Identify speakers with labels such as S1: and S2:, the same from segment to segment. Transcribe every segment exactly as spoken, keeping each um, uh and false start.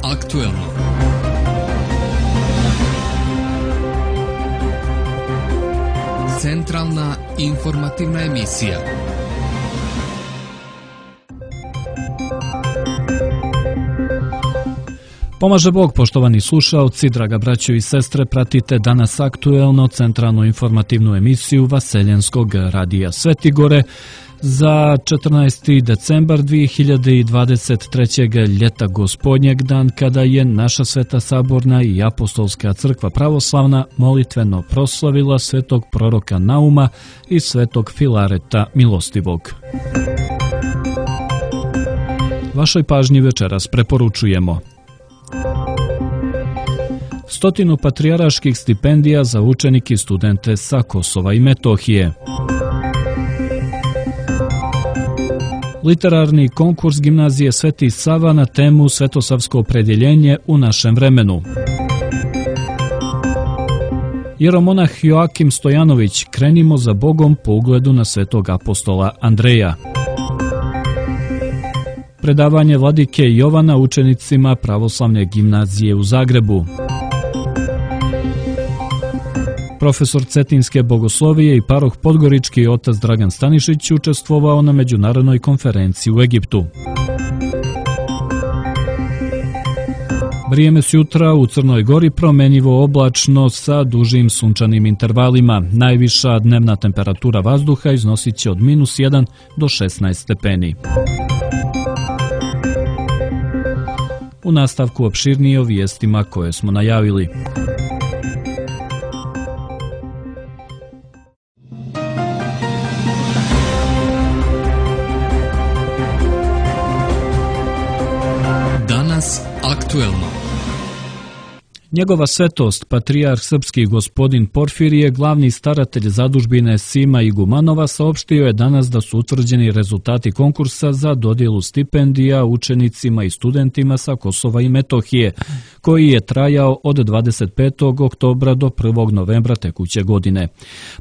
S1: aktuelno. Centralna informativna emisija.
S2: Pomaže Bog, poštovani slušaoci, draga braćo i sestre, pratite danas aktuelno centralnu informativnu emisiju Vaseljenskog radija Svetigore za četrnaesti decembar dvije hiljade dvadeset trećeg. ljeta gospodnjeg, dan kada je naša Sveta Saborna i Apostolska crkva pravoslavna molitveno proslavila svetog proroka Nauma i svetog Filareta Milostivog. Vašoj pažnji večeras preporučujemo stotinu patrijaraških stipendija za učenike i studente sa Kosova i Metohije, literarni konkurs gimnazije Sveti Sava na temu Svetosavsko opredjeljenje u našem vremenu, jeromonah Joakim Stojanović, krenimo za Bogom po ugledu na svetog apostola Andreja, predavanje vladike Jovana učenicima pravoslavne gimnazije u Zagrebu, profesor Cetinske bogoslovije i paroh podgorički otac Dragan Stanišić učestvovao na međunarodnoj konferenciji u Egiptu. Vrijeme sjutra u Crnoj Gori promenjivo oblačno sa dužim sunčanim intervalima. Najviša dnevna temperatura vazduha iznosit će od minus jedan do šesnaest stepeni. U nastavku opširnije o vijestima koje smo najavili.
S1: Danas aktuelno.
S2: Njegova svetost, patrijarh srpski gospodin Porfirije, glavni staratelj zadužbine Sima Igumanova, saopštio je danas da su utvrđeni rezultati konkursa za dodjelu stipendija učenicima i studentima sa Kosova i Metohije, koji je trajao od dvadeset petog oktobra do prvog novembra tekuće godine.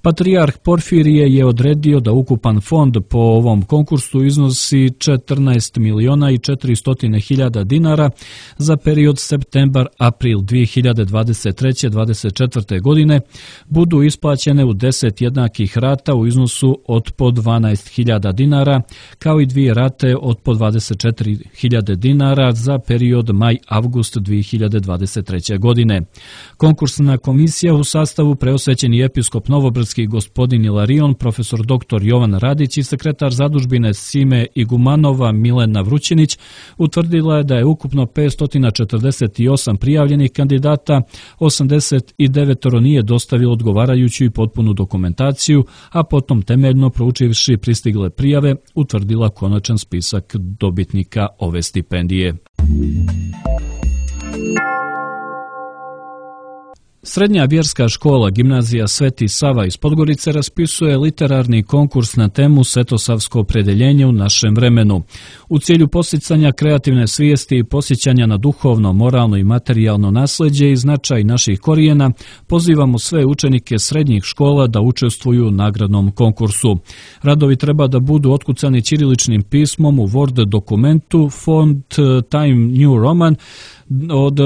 S2: Patrijarh Porfirije je odredio da ukupan fond po ovom konkursu iznosi četrnaest miliona i četiristo hiljada dinara za period septembar-april dvije hiljade dvadeset treće do dvadeset četvrte. godine, budu isplaćene u deset jednakih rata u iznosu od po dvanaest hiljada dinara, kao i dvije rate od po dvadeset četiri hiljade dinara za period maj-avgust dvije hiljade dvadeset treće. godine. Konkursna komisija u sastavu preosvećeni episkop Novobrdski gospodin Ilarion, profesor doktor Jovan Radić i sekretar zadužbine Sime Igumanova Milena Vrućinić utvrdila je da je ukupno petsto četrdeset osam prijavljenih kandidata, osamdeset devet nije dostavilo odgovarajuću i potpunu dokumentaciju, a potom temeljno proučivši pristigle prijave utvrdila konačan spisak dobitnika ove stipendije. Srednja vjerska škola gimnazija Sveti Sava iz Podgorice raspisuje literarni konkurs na temu Svetosavsko opredjeljenje u našem vremenu. U cilju posticanja kreativne svijesti i posjećanja na duhovno, moralno i materijalno nasljeđe i značaj naših korijena, pozivamo sve učenike srednjih škola da učestvuju u nagradnom konkursu. Radovi treba da budu otkucani ćiriličnim pismom u Word dokumentu font Time New Roman od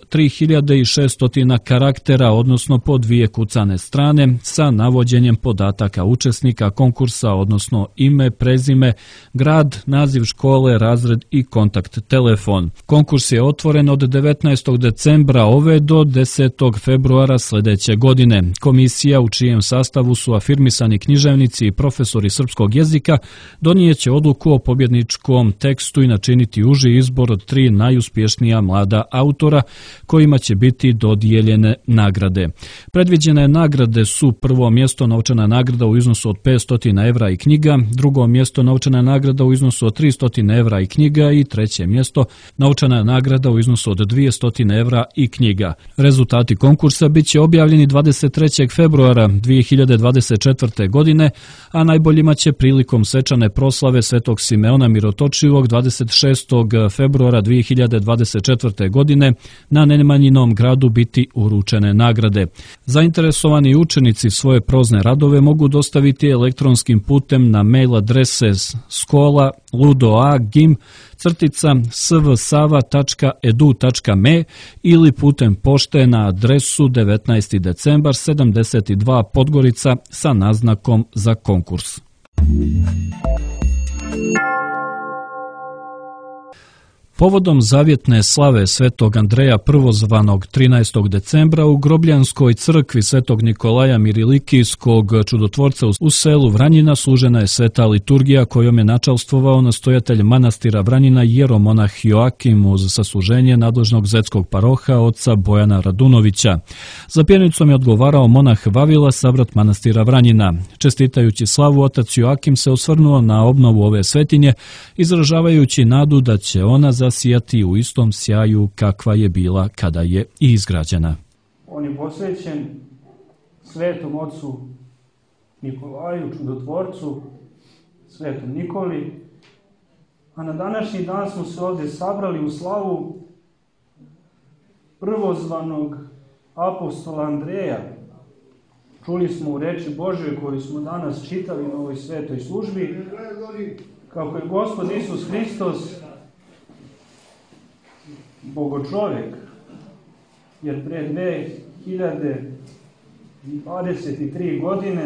S2: tri hiljade šesto karaktera, odnosno po dvije kucane strane, sa navođenjem podataka učesnika konkursa, odnosno ime, prezime, grad, naziv škole, razred i kontakt telefon. Konkurs je otvoren od devetnaestog decembra ove do desetog februara sljedeće godine. Komisija, u čijem sastavu su afirmisani književnici i profesori srpskog jezika, donijeće odluku o pobjedničkom tekstu i načiniti uži izbor od tri najuspješnija mlada autora kojima će biti dodijeljene nagrade. Predviđene nagrade su prvo mjesto novčana nagrada u iznosu od petsto evra i knjiga, drugo mjesto novčana nagrada u iznosu od tristo evra i knjiga i treće mjesto novčana nagrada u iznosu od dvjesto evra i knjiga. Rezultati konkursa bit će objavljeni dvadeset trećeg februara dvije hiljade dvadeset četvrte. godine, a najboljima će prilikom svečane proslave Svetog Simeona Mirotočivog dvadeset šestog februara dvije hiljade dvadeset četvrte. godine na Nemanjinom gradu biti uručeni stečene nagrade. Zainteresovani učenici svoje prozne radove mogu dostaviti elektronskim putem na mail adrese skola ludoa gim crtica svsava tačka edu tačka me ili putem pošte na adresu devetnaesti decembar sedamdeset dva Podgorica sa naznakom za konkurs. Povodom zavjetne slave svetog Andreja Prvozvanog trinaestog decembra u Grobljanskoj crkvi svetog Nikolaja Mirilikijskog čudotvorca u selu Vranjina služena je sveta liturgija kojom je načalstvovao nastojatelj manastira Vranjina jeromonah Joakim uz sasluženje nadležnog zetskog paroha oca Bojana Radunovića. Za pjenicom je odgovarao monah Vavila, savrat manastira Vranjina. Čestitajući slavu, otac Joakim se osvrnuo na obnovu ove svetinje, izražavajući nadu da će ona zasijati u istom sjaju kakva je bila kada je i izgrađena.
S3: On je posvećen svetom ocu Nikolaju, čudotvorcu, svetom Nikoli, a na današnji dan smo se ovdje sabrali u slavu prvozvanog apostola Andreja. Čuli smo u reči Božoj koju smo danas čitali na ovoj svetoj službi, kako je Gospod Isus Hristos bogočovjek, jer pre dve hiljade dvadeset tri godine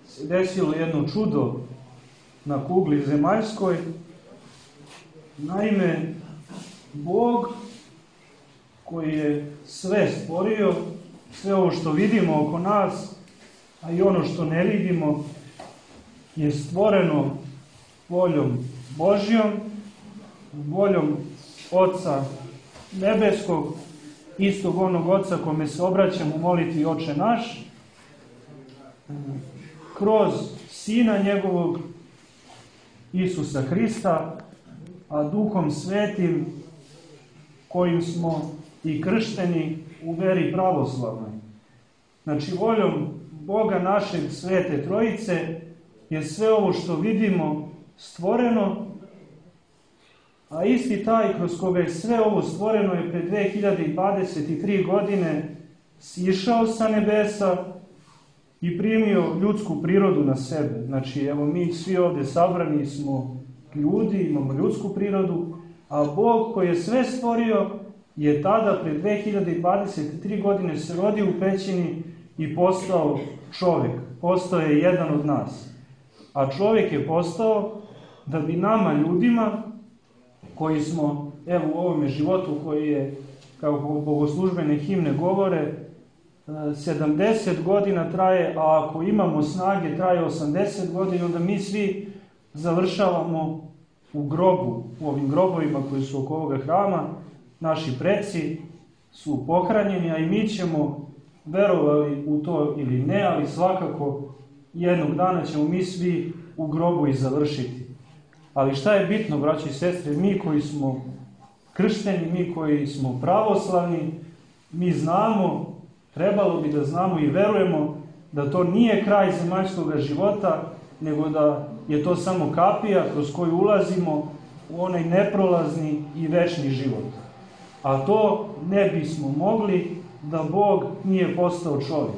S3: se desilo jedno čudo na kugli zemaljskoj. Naime, Bog koji je sve stvorio, sve ovo što vidimo oko nas, a i ono što ne vidimo, je stvoreno voljom Božjom, voljom Oca nebeskog, istog onog Oca kome se obraćamo u molitvi Oče naš, kroz Sina njegovog Isusa Hrista, a Duhom Svetim kojim smo i kršteni u veri pravoslavnoj. Znači, voljom Boga našeg Svete Trojice je sve ovo što vidimo stvoreno, a isti taj kroz koga je sve ovo stvoreno je pre dve hiljade dvadeset tri godine sišao sa nebesa i primio ljudsku prirodu na sebe. Znači, evo mi svi ovdje sabrani smo ljudi, imamo ljudsku prirodu, a Bog koji je sve stvorio je tada pre dve hiljade dvadeset tri godine se rodio u pećini i postao čovjek. Postao je jedan od nas. A čovjek je postao da bi nama ljudima, koji smo, evo u ovome životu koji je, kao bogoslužbene himne govore, sedamdeset godina traje, a ako imamo snage traje osamdeset godina, onda mi svi završavamo u grobu, u ovim grobovima koji su oko ovoga hrama. Naši preci su pohranjeni, a i mi ćemo, verovali u to ili ne, ali svakako jednog dana ćemo mi svi u grobu i završiti. Ali šta je bitno, braći i sestre, mi koji smo kršteni, mi koji smo pravoslavni, mi znamo, trebalo bi da znamo i verujemo da to nije kraj zemaljskog života, nego da je to samo kapija kroz koju ulazimo u onaj neprolazni i večni život. A to ne bismo mogli da Bog nije postao čovjek.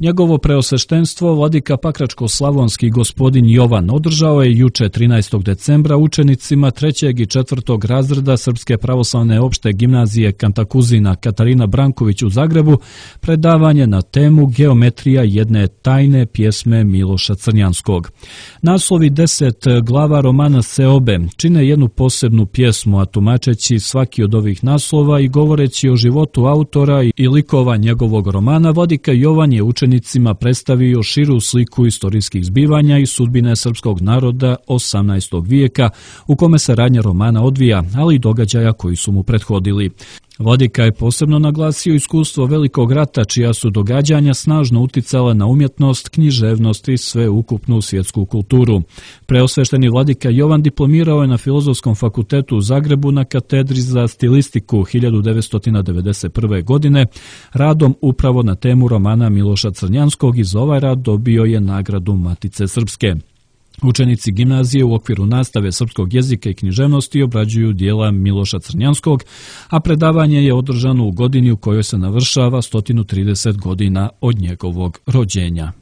S2: Njegovo preosveštenstvo vladika Pakračko-slavonski gospodin Jovan održao je juče trinaestog decembra učenicima trećeg i četvrtog razreda Srpske pravoslavne opšte gimnazije Kantakuzina Katarina Branković u Zagrebu predavanje na temu Geometrija jedne tajne pjesme Miloša Crnjanskog. Naslovi deset glava romana Seobe čine jednu posebnu pjesmu, a tumačeći svaki od ovih naslova i govoreći o životu autora i likova njegovog romana, vladika Jovan je učenicima predstavio širu sliku istorijskih zbivanja i sudbine srpskog naroda osamnaestog vijeka u kome se radnja romana odvija, ali i događaja koji su mu prethodili. Vladika je posebno naglasio iskustvo Velikog rata, čija su događanja snažno uticala na umjetnost, književnost i sveukupnu svjetsku kulturu. Preosvešteni vladika Jovan diplomirao je na Filozofskom fakultetu u Zagrebu na katedri za stilistiku hiljadu devetsto devedeset prve. godine radom upravo na temu romana Miloša Crnjanskog i za ovaj rad dobio je nagradu Matice Srpske. Učenici gimnazije u okviru nastave srpskog jezika i književnosti obrađuju dijela Miloša Crnjanskog, a predavanje je održano u godini u kojoj se navršava sto trideset godina od njegovog rođenja.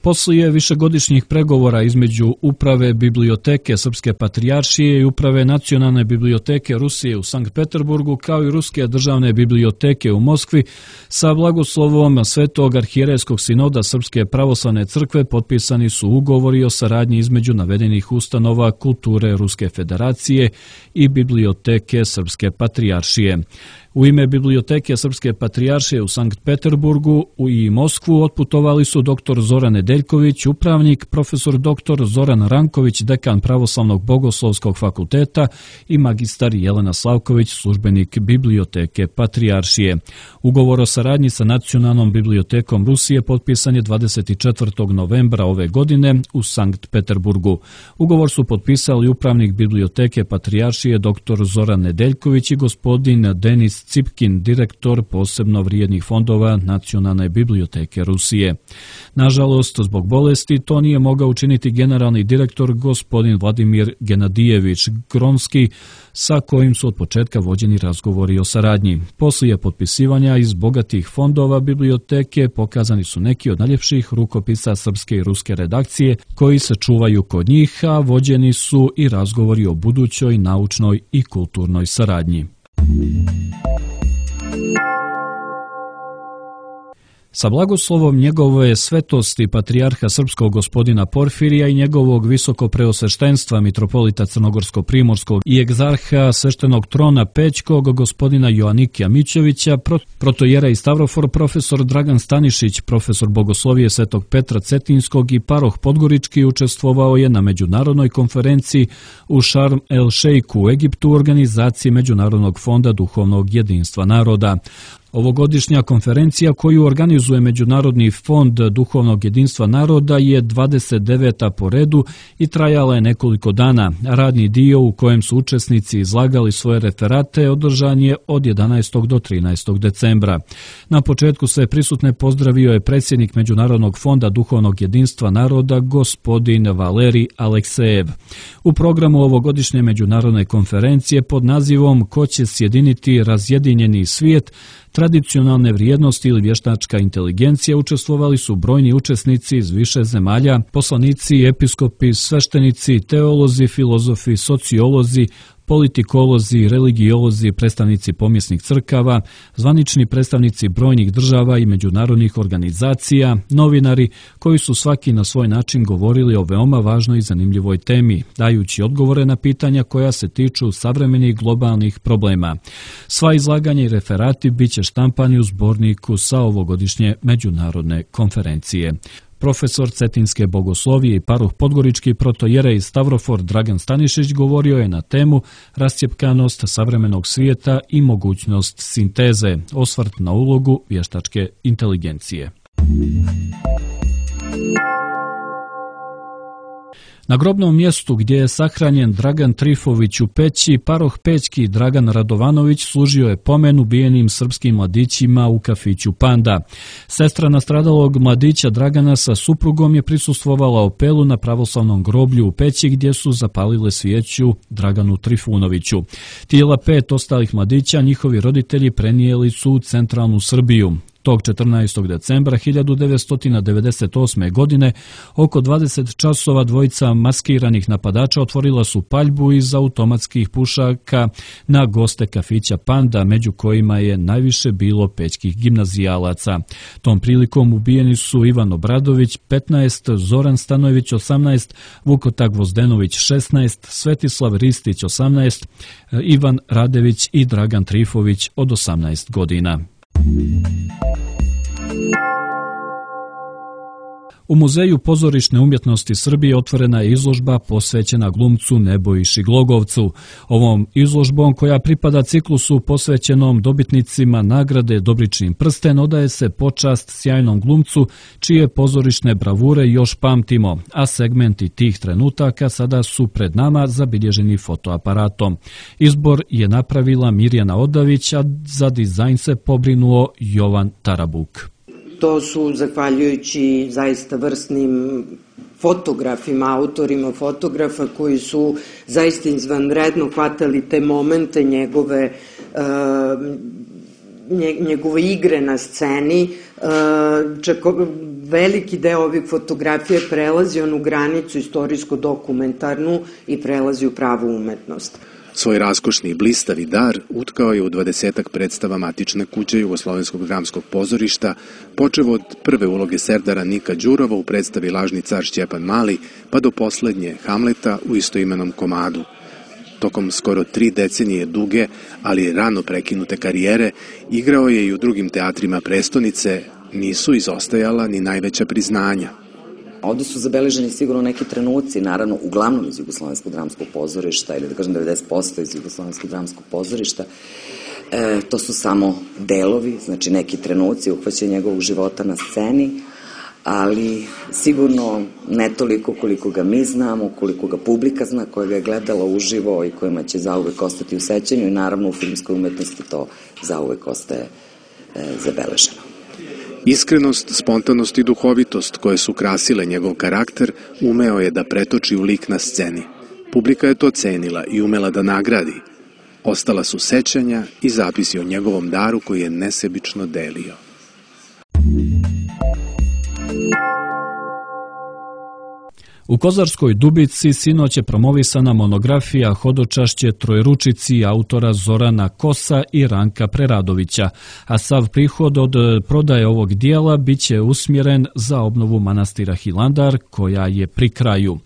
S2: Poslije višegodišnjih pregovora između Uprave biblioteke Srpske patrijaršije i Uprave Nacionalne biblioteke Rusije u Sankt Peterburgu, kao i Ruske državne biblioteke u Moskvi, sa blagoslovom Svetog arhijerejskog sinoda Srpske pravoslavne crkve potpisani su ugovori o saradnji između navedenih ustanova kulture Ruske federacije i Biblioteke Srpske patrijaršije. U ime Biblioteke Srpske patrijaršije u Sankt Peterburgu i Moskvu otputovali su doktor Zoran Nedeljković, upravnik, profesor doktor Zoran Ranković, dekan Pravoslavnog bogoslovskog fakulteta i magistar Jelena Slavković, službenik Biblioteke patrijaršije. Ugovor o saradnji sa Nacionalnom bibliotekom Rusije potpisan je dvadeset četvrtog novembra ove godine u Sankt Peterburgu. Ugovor su potpisali upravnik Biblioteke patrijaršije doktor Zoran Nedeljković i gospodin Denis Cipkin, direktor posebno vrijednih fondova Nacionalne biblioteke Rusije. Nažalost, zbog bolesti to nije mogao učiniti generalni direktor gospodin Vladimir Genadijević Gronski, sa kojim su od početka vođeni razgovori o saradnji. Poslije potpisivanja iz bogatih fondova biblioteke pokazani su neki od najljepših rukopisa srpske i ruske redakcije koji se čuvaju kod njih, a vođeni su i razgovori o budućoj naučnoj i kulturnoj saradnji. Sa blagoslovom njegove svetosti patrijarha srpskog gospodina Porfirija i njegovog visokopreosveštenstva mitropolita Crnogorsko-primorskog i egzarha sveštenog trona Pećkog gospodina Joanikija Mićevića, protojera i stavrofor profesor Dragan Stanišić, profesor bogoslovije Svetog Petra Cetinskog i paroh Podgorički učestvovao je na međunarodnoj konferenciji u Šarm el Šejku u Egiptu u organizaciji Međunarodnog fonda duhovnog jedinstva naroda. Ovogodišnja konferencija koju organizuje Međunarodni fond duhovnog jedinstva naroda je dvadeset deveta po redu i trajala je nekoliko dana. Radni dio u kojem su učesnici izlagali svoje referate održan je od jedanaestog do trinaestog decembra. Na početku sve prisutne pozdravio je predsjednik Međunarodnog fonda duhovnog jedinstva naroda gospodin Valerij Aleksejev. U programu ovogodišnje međunarodne konferencije pod nazivom Ko će sjediniti razjedinjeni svijet, tradicionalne vrijednosti ili vještačka inteligencija učestvovali su brojni učesnici iz više zemalja, poslanici, episkopi, sveštenici, teolozi, filozofi, sociolozi, politikolozi, religiolozi, predstavnici pomjesnih crkava, zvanični predstavnici brojnih država i međunarodnih organizacija, novinari koji su svaki na svoj način govorili o veoma važnoj i zanimljivoj temi, dajući odgovore na pitanja koja se tiču savremenih globalnih problema. Sva izlaganja i referati bit će štampani u zborniku sa ovogodišnje međunarodne konferencije. Profesor Cetinske bogoslovije i paroh Podgorički protojerej stavrofor Dragan Stanišić govorio je na temu Rascjepkanost savremenog svijeta i mogućnost sinteze, osvrt na ulogu vještačke inteligencije. Na grobnom mjestu gdje je sahranjen Dragan Trifović u Peći, paroh Pećki Dragan Radovanović služio je pomen ubijenim srpskim mladićima u kafiću Panda. Sestra nastradalog mladića Dragana sa suprugom je prisustvovala opelu na pravoslavnom groblju u Peći gdje su zapalile svijeću Draganu Trifunoviću. Tijela pet ostalih mladića njihovi roditelji prenijeli su u centralnu Srbiju. Tog četrnaestog decembra hiljadu devetsto devedeset osme. godine oko dvadeset časova dvojica maskiranih napadača otvorila su paljbu iz automatskih pušaka na goste kafića Panda, među kojima je najviše bilo pećkih gimnazijalaca. Tom prilikom ubijeni su Ivan Obradović petnaest, Zoran Stanojević osamnaest, Vukota Gvozdenović šesnaest, Svetislav Ristić osamnaest, Ivan Radević i Dragan Trifović od osamnaest godina. U Muzeju pozorišne umjetnosti Srbije otvorena je izložba posvećena glumcu Nebojši Glogovcu. Ovom izložbom, koja pripada ciklusu posvećenom dobitnicima nagrade Dobričin prsten, odaje se počast sjajnom glumcu čije pozorišne bravure još pamtimo, a segmenti tih trenutaka sada su pred nama zabilježeni fotoaparatom. Izbor je napravila Mirjana Odavić, a za dizajn se pobrinuo Jovan Tarabuk.
S4: to su zahvaljujući zaista vrsnim fotografima, autorima fotografa koji su zaista izvanredno hvatali te momente njegove, njegove igre na sceni. Čak veliki deo ovih fotografija prelazi onu granicu istorijsko-dokumentarnu i prelazi u pravu umetnost.
S5: Svoj raskošni i blistavi dar utkao je u dvadesetak predstava matične kuće Jugoslovenskog dramskog pozorišta, počev od prve uloge Serdara Nika Đurova u predstavi Lažni car Šćepan Mali, pa do poslednje Hamleta u istoimenom komadu. Tokom skoro tri decenije duge, ali rano prekinute karijere, igrao je i u drugim teatrima prestonice, nisu izostajala ni najveća priznanja.
S6: Ovde su zabeleženi sigurno neki trenuci, naravno, uglavnom iz Jugoslovenskog dramskog pozorišta, ili da kažem devedeset posto iz Jugoslovenskog dramskog pozorišta. E, to su samo delovi, znači neki trenuci uhvaćaju njegovog života na sceni, ali sigurno ne toliko koliko ga mi znamo, koliko ga publika zna, koja ga je gledala uživo i kojima će zauvek ostati u sećanju i naravno u filmskoj umetnosti to zauvek ostaje e, zabeleženo.
S5: Iskrenost, spontanost i duhovitost koje su krasile njegov karakter umeo je da pretoči u lik na sceni. Publika je to cenila i umela da nagradi. Ostala su sećanja i zapisi o njegovom daru koji je nesebično delio.
S2: U Kozarskoj Dubici sinoć je promovisana monografija Hodočašće Trojručici autora Zorana Kosa i Ranka Preradovića, a sav prihod od prodaje ovog dijela biće usmjeren za obnovu manastira Hilandar, koja je pri kraju.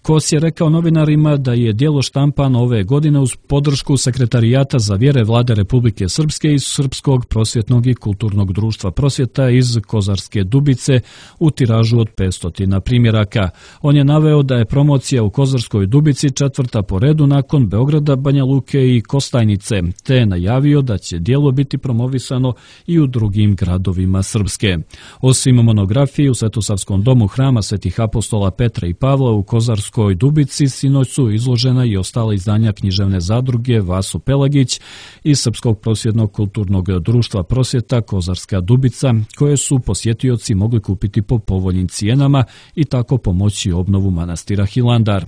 S2: Kos je rekao novinarima da je dijelo štampano ove godine uz podršku Sekretarijata za vjere Vlade Republike Srpske i Srpskog prosvjetnog i kulturnog društva prosvjeta iz Kozarske Dubice u tiražu od petsto primjeraka. On je naveo da je promocija u Kozarskoj Dubici četvrta po redu nakon Beograda, Banja Luke i Kostajnice, te je najavio da će dijelo biti promovisano i u drugim gradovima Srpske. Osim monografije u Svetosavskom domu hrama Svetih apostola Petra i Pavla u Kozarskoj Dubici sinoć su izložena i ostala izdanja književne zadruge Vaso Pelagić i Srpskog prosvjetnog kulturnog društva prosvjeta Kozarska Dubica, koje su posjetioci mogli kupiti po povoljnim cijenama i tako pomoći obnovu manastira Hilandar.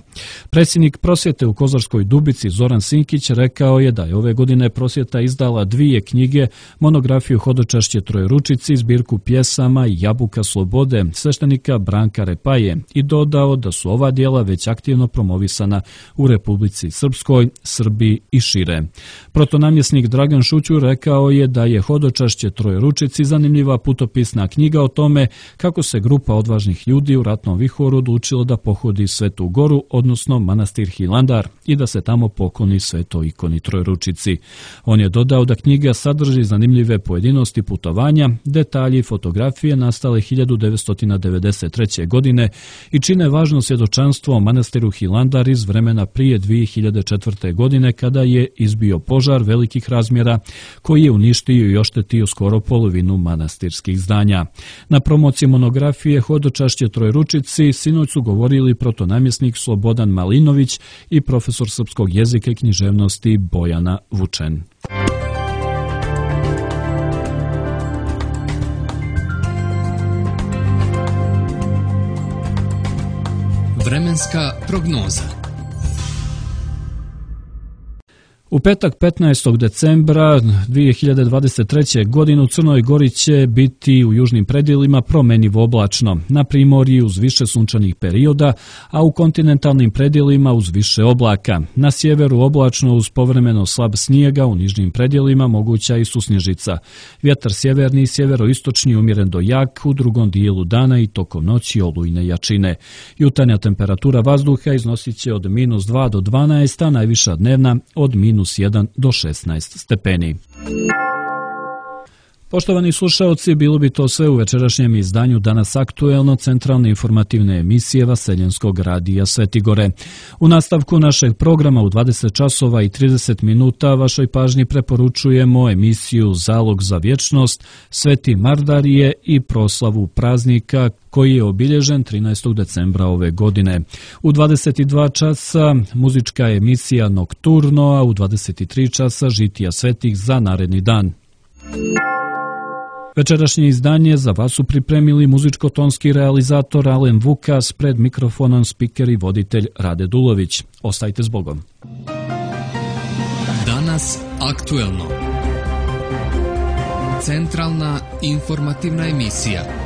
S2: Predsjednik prosvjete u Kozarskoj Dubici Zoran Sinkić rekao je da je ove godine prosvjeta izdala dvije knjige, monografiju Hodočašće Trojručici, zbirku pjesama Jabuka slobode sveštenika Branka Repaje i dodao da su ova dijela već aktivno promovisana u Republici Srpskoj, Srbiji i šire. Protonamjesnik Dragan Šućur rekao je da je Hodočašće Trojručici zanimljiva putopisna knjiga o tome kako se grupa odvažnih ljudi u ratnom vihoru odlučilo da pohodi Svetu Goru, odnosno manastir Hilandar, i da se tamo pokloni svetoj ikoni Trojručici. On je dodao da knjiga sadrži zanimljive pojedinosti putovanja, detalji i fotografije nastale hiljadu devetsto devedeset treće. godine i čine važno svjedočanstvo o manastiru Hilandar iz vremena prije dvije hiljade četvrte. godine kada je izbio požar velikih razmjera koji je uništio i oštetio skoro polovinu manastirskih zdanja. Na promociji monografije Hodočašće Trojručici sinoć su govorili protonamjesnik Slobodan Malinović i profesor srpskog jezika i književnosti Bojana Vučen.
S1: Vremenska prognoza.
S2: U petak petnaestog decembra dvije hiljade dvadeset treće. godine u Crnoj Gori će biti u južnim predjelima promjenjivo oblačno, na primorji uz više sunčanih perioda, a u kontinentalnim predjelima uz više oblaka. Na sjeveru oblačno uz povremeno slab snijega, u nižnim predjelima moguća i susnježica. Vjetar sjeverni i sjeveroistočni umjeren do jak u drugom dijelu dana i tokom noći olujne jačine. Jutarnja temperatura vazduha iznosit će od minus dva do dvanaest, a najviša dnevna od minus jedan do šesnaest stepeni. Poštovani slušaoci, bilo bi to sve u večerašnjem izdanju Danas aktuelno centralne informativne emisije Vaseljenskog radija Svetigore. U nastavku našeg programa u dvadeset časova i trideset minuta vašoj pažnji preporučujemo emisiju Zalog za vječnost, Sveti Mardarije i proslavu praznika koji je obilježen trinaestog decembra ove godine. U dvadeset dva časa muzička emisija Nokturno, a u dvadeset tri časa Žitija svetih za naredni dan. Večerašnje izdanje za vas su pripremili muzičko-tonski realizator Alen Vukas, pred mikrofonom spiker i voditelj Rade Dulović. Ostajte s Bogom.
S1: Danas aktuelno. Centralna informativna emisija.